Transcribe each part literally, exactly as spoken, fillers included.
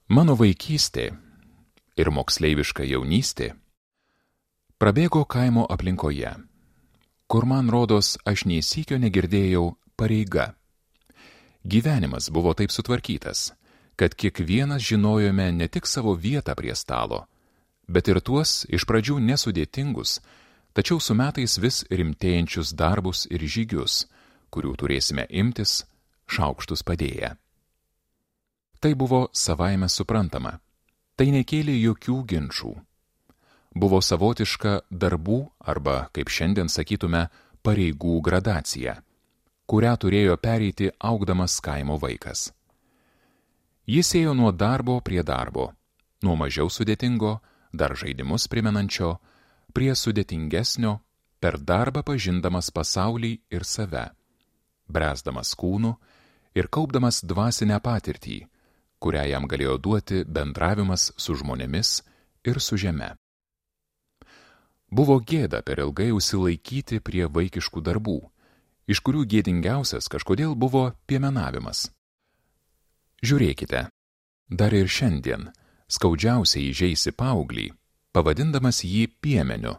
Mano vaikystė ir moksleiviška jaunystė prabėgo kaimo aplinkoje, kur man rodos aš nei sykio negirdėjau pareiga. Gyvenimas buvo taip sutvarkytas, kad kiekvienas žinojome ne tik savo vietą prie stalo, bet ir tuos iš pradžių nesudėtingus, tačiau su metais vis rimtėjančius darbus ir žygius, kurių turėsime imtis šaukštus padėję. Tai buvo savaime suprantama, tai nekėlė jokių ginčų. Buvo savotiška darbų arba, kaip šiandien sakytume, pareigų gradacija, kurią turėjo pereiti augdamas kaimo vaikas. Jis ėjo nuo darbo prie darbo, nuo mažiau sudėtingo, dar žaidimus primenančio, prie sudėtingesnio, per darbą pažindamas pasaulį ir save, bręsdamas kūnu ir kaupdamas dvasinę patirtį, kurią jam galėjo duoti bendravimas su žmonėmis ir su žeme. Buvo gėda per ilgai užsilaikyti prie vaikiškų darbų, iš kurių gėdingiausias kažkodėl buvo piemenavimas. Žiūrėkite, dar ir šiandien skaudžiausiai įžeisi paauglį, pavadindamas jį piemeniu,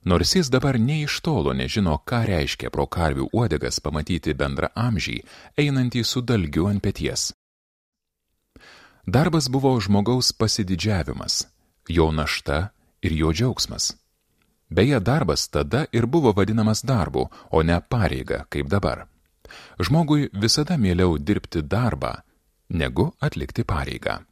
nors jis dabar nė iš tolo nežino, ką reiškia pro karvių uodegas pamatyti bendraamžį, einantį su dalgiu ant peties. Darbas buvo žmogaus pasididžiavimas, jo našta ir jo džiaugsmas. Beje, darbas tada ir buvo vadinamas darbu, o ne pareiga, kaip dabar. Žmogui visada mieliau dirbti darbą, negu atlikti pareigą.